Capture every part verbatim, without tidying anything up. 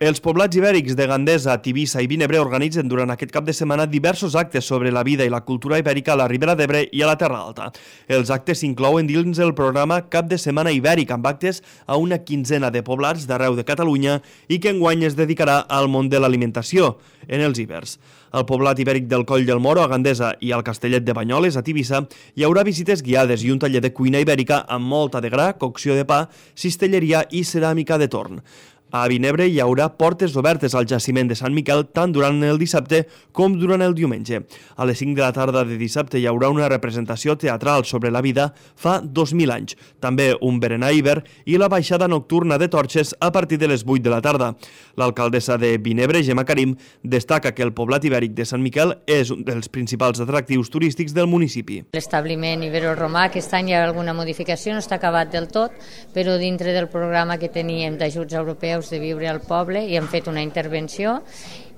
Els poblats ibèrics de Gandesa, Tivissa i Vinebre organitzen durant aquest cap de setmana diversos actes sobre la vida i la cultura ibèrica a la Ribera d'Ebre i a la Terra Alta. Els actes s'inclouen dins el programa Cap de Setmana Ibèric, amb actes a una quinzena de poblats d'arreu de Catalunya i que enguany es dedicarà al món de l'alimentació en els ibers. Al poblat ibèric del Coll del Moro, a Gandesa, i al Castellet de Banyoles, a Tivissa, hi haurà visites guiades i un taller de cuina ibèrica amb molta de gra, cocció de pa, cistelleria i ceràmica de torn. A Vinebre hi haurà portes obertes al jaciment de Sant Miquel tant durant el dissabte com durant el diumenge. A les cinc de la tarda de dissabte hi haurà una representació teatral sobre la vida fa dos mil anys, també un berenar iber i la baixada nocturna de torxes a partir de les vuit de la tarda. L'alcaldessa de Vinebre, Gemma Karim, destaca que el poblat ibèric de Sant Miquel és un dels principals atractius turístics del municipi. L'establiment ibero-romà, aquest any hi ha alguna modificació, no està acabat del tot, però dintre del programa que teníem d'ajuts europeus de viure al poble i hem fet una intervenció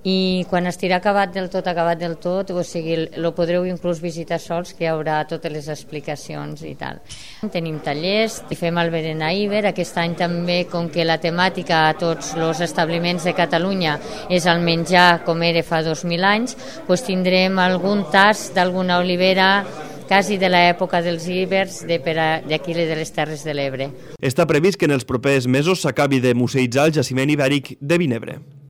i quan estirà acabat del tot, acabat del tot, o sigui, lo podreu inclús visitar sols, que hi haurà totes les explicacions i tal. Tenim tallers, fem el berenar iber, aquest any també, com que la temàtica a tots els establiments de Catalunya és el menjar com era fa dos mil anys, doncs tindrem algun tast d'alguna olivera quasi de l'època dels ibers d'aquí de les Terres de l'Ebre. Està previst que en els propers mesos s'acabi de museïtzar el jaciment ibèric de Vinebre.